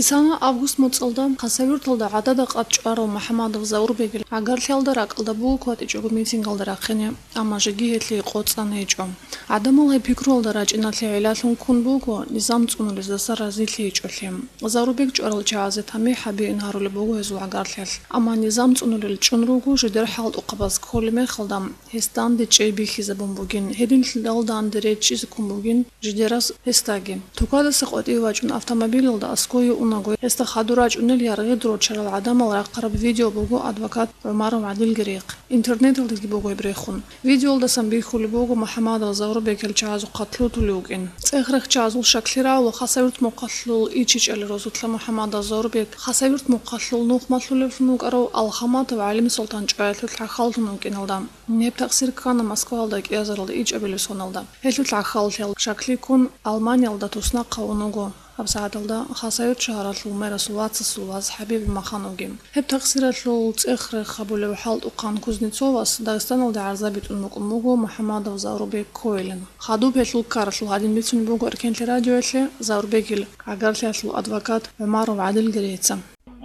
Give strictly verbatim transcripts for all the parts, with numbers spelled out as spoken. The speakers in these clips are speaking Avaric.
Исана август моцӀалда Хасавюрталда гӀадада къаб чӀварав МухӀамадов Заурбегил гӀагарлъиялда ракӀалда буго кватӀичӀого митингалда рахъине, амма жеги гьелъие къоцӀан гьечӀо. ГӀадамал гьеб пикруялда рачӀиналъе гӀиллалъун ккун буго низам цӀунулездаса разилъи гьечӀолъи. Заурбег чӀварал чагӀазе тамихӀ гьабеин гьарулеб буго гьезул гӀагарлъиялъ, амма низам цӀунулел чӀун руго жидер хӀалтӀухъабаз кколеб мехалда, гьес данде чӀей бихьизабун бугин, гьединлъидал данде речӀчӀизе ккун бугин жидерас гьесдаги. Тукадаса къватӀиве вачӀун автомобилалда аскӀове унаго, гьесда хадур рачӀунел яргъид рорчарал гӀадамал рахъараб видео буго адвокат ГӀумаров ГӀадилги рехъ. Интернеталдаги буго гьеб рехун. Видеолдасан бихьулеб буго МухӀамадов Заурбег гьел чагӀазухъа лъутулев вукӀин. ЦӀех-рех чагӀазул щаклъи рагӀула Хасавюрт мухъалъул ичичӀали розулъа МухӀамадов Заурбег, Хасавюрт мухъалъул нухмалъулевлъун вукӀарав Алхаматов ГӀалимсултан чӀваялъул гӀахьаллъун вукӀиналда. Гьеб такъсир ккана Москваялда кӀиазаралда ичӀабилеб соналда. Гьелъул гӀахьаллъиялъ щаклъи ккун, Алманиялда туснахъав унаго. ГьабсагӀаталда Хасавюрт шагьаралъул мэрасул вацасул вас ХӀабиб Махановги. Гьеб такъсиралъул цӀех-рех гьабулев хӀалтӀухъан Кузнецовас Дагъистаналде гӀарза битӀун букӀун буго МухӀамадов Заурбег ккойилан. Хадуб гьелъул ккаралъул гьадин бицунеб буго Эркенлъи радиоялъе Заурбегил гӀагарлъиялъул адвокат ГӀумаров ГӀадилги рехъ.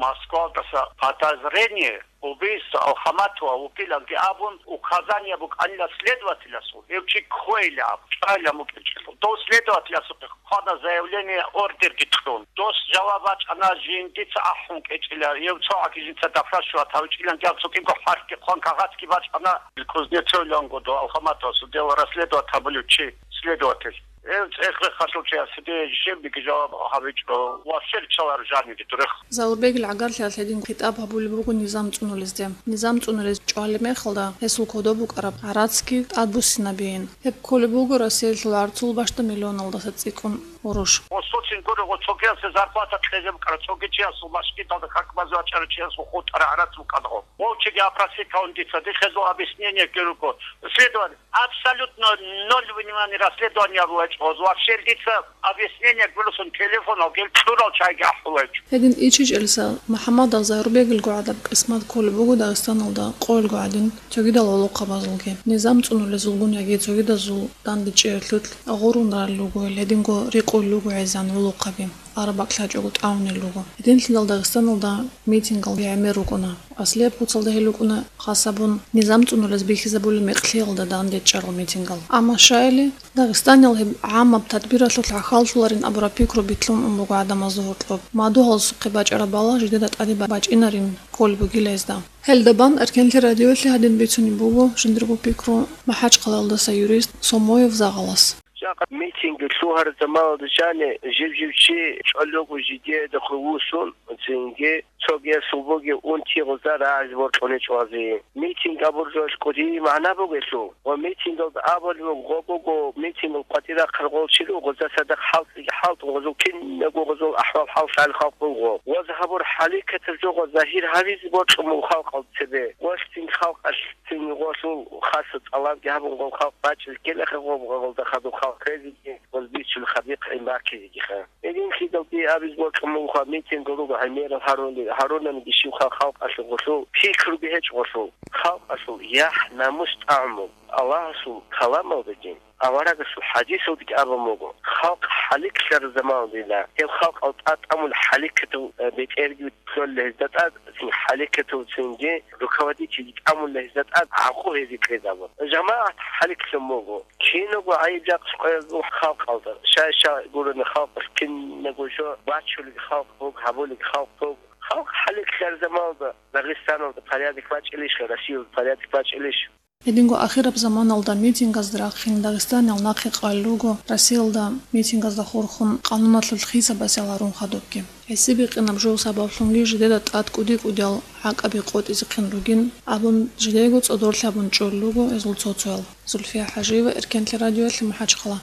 Москвалдаса подозрение убийство Алхаматова вукӀиланги абун, указание букӀанила следователасул, гьев чи ккойилан абун, чӀвайилан букӀинчӀелъул. Дов следователасухъе хъвана заявление, ордерги кьун. Дос жаваб бачӀана, жиндица ахӀун кӀечӀила, гьев цогӀаги жинца допрашивать гьавичӀиланги абун, цо кӀиго хӀарпги хъван, кагъатги бачӀана. Кузнецовиланго дов Алхаматовасул дело расследовать гьабулев чи, следователь. Гьев цӀех-рехалъул чиясде жибги жаваб гьабичӀо ва щерчаларо жанире дурех. Заурбегил гӀагарлъиялъ гьедин хитӀаб гьабулеб буго низам цӀунулезде. Низам цӀунулез чӀвалеб мехалда гьесул кодоб букӀараб гӀарацги тӀадбуссинабейин. Гьеб кколеб буго Россиялъул гӀарцул бащда миллионалдаса цӀикӀкӀун гъурущ. Гъосуцин гуро, гъо цогиясе зарплата кьезе букӀара, цоги чиясул машгидалда как базе вачӀарав чиясул хутӀара гӀарац букӀана гъо. Вовчиги опросить гьавун дица, дихъе дол объяснение ккеруго. Следователь, абсолютно ноль внимания расследование гьабулачӀо, вообще дица объяснение гурусун телефон гьел кьурал чайги ахӀулачӀо. Гьедин ичичӀелиса МухӀаммадов Заурбегилго гӀадаб къисмат кколеб буго Дагъистаналда къоялго гӀадин цогидал гӀолохъабазулги. Низам цӀунулезулгун яги цогидазул дандечӀеялъулъ гъурун ралел руго гьел, гьединго рикъулел руго гӀезегӀан гӀолохъаби. Араб бакӀ лъачӀого тӀагӀунел руго. Гьединлъидал Дагъистаналда митингал гӀемер рукӀуна. Аслияб куцалда гьел рукӀуна хас гьабун, низам цӀунулез бихьизабулеб мекълъиялда дандечӀарал митингал. Амма щайили, Дагъистаниял гьеб гӀаммаб тадбиралъулъ гӀахьаллъуларин абураб пикру битлъун ун буго гӀадамазда гьоркьоб. Мадугьалсухъе бачӀараб бала жидеда тӀаде бачӀинарин кколеб бугила гьезда. Гьелдабан Эркенлъи радиоялъе гьадин бицунеб буго жиндирго пикру МахӀачхъалаялдаса юрист Сомоев Загъалас. Жакъа митинги лъугьараб заманалда жани жив-жив чи чӀвалев вуго жидеда хъувусун, цинги цогиясул бугеб унти гъоза рагӀазе бокьуне чӀвазе. Митинг абуржуялъ кӀудияб магӀна бугелъул ва митингалда абулеб буго, гъо буго митингал къватӀир рахъарал гъол чи руго, гъоза цадахъ хӀалтӀиги хӀалтӀун, гъозул кинабго гъозул ахӀвал-хӀал лъалел халкъ буго. Гъоз гьабур хӀаликкатаб жо гъоза загьир гьабизе бокьун буго халкъалда цебе. Гъолъ цин халкъалъ цин гъолъул хасаб тӀалабги гьабун, гъол халкъ бачӀизе ккелаха, гъоб гъолда хадуб халкъ резеги, гъоз бицун хадихъ гӀин баккизегиха. Гьединлъидал дие абизе бокьун бугоха, митинг руго гӀемерал гьарулел, гьарунани бищунха халкъалъул гъолъул, пикруги гьечӀо гъолъул, халкъалъул яхӀ-намус тӀагӀун буго. Аллагьасул каламалдаги, аварагасул хӀадисалдаги абун буго, халкъ хӀаликлъараб заманалдила, гьеб халкъал тӀа-, тӀамул хӀаликкатав, э, бетӀерги кколила гьезда тӀад, цин хӀаликкатав цинги руководительги тӀамулила гьезда тӀад, гӀакъу гьезие кьезабун. ЖамагӀат хӀаликлъун буго. Киналго гӀайиб-жакъа къоязул халкъалда, щай-щай гурони халкъалъ кинабго жо бачулеб халкъ буго, гьабулеб халкъ буго. Халкъ хӀаликлъараб заманалда Дагъистаналда порядок бачӀилищха, Россиялда порядок бачӀилищ? Гьединго ахираб заманалда митингазда рахъин Дагъистаниял нахъе къвалел руго, Россиялда митингазда хурхун къануналъул хисабас яларун хадубги. ГӀиси бикъинаб жо сабаблъунги жидеда тӀад кӀуди-кӀудиял гӀакъаби къотӀизехъин ругин абун, жидего цӀодорлъи гьабун чӀолел руго гьезул цо-цоял. Зульфия ХӀажиева, Эркенлъи радиоялъе, МахӀачхъала.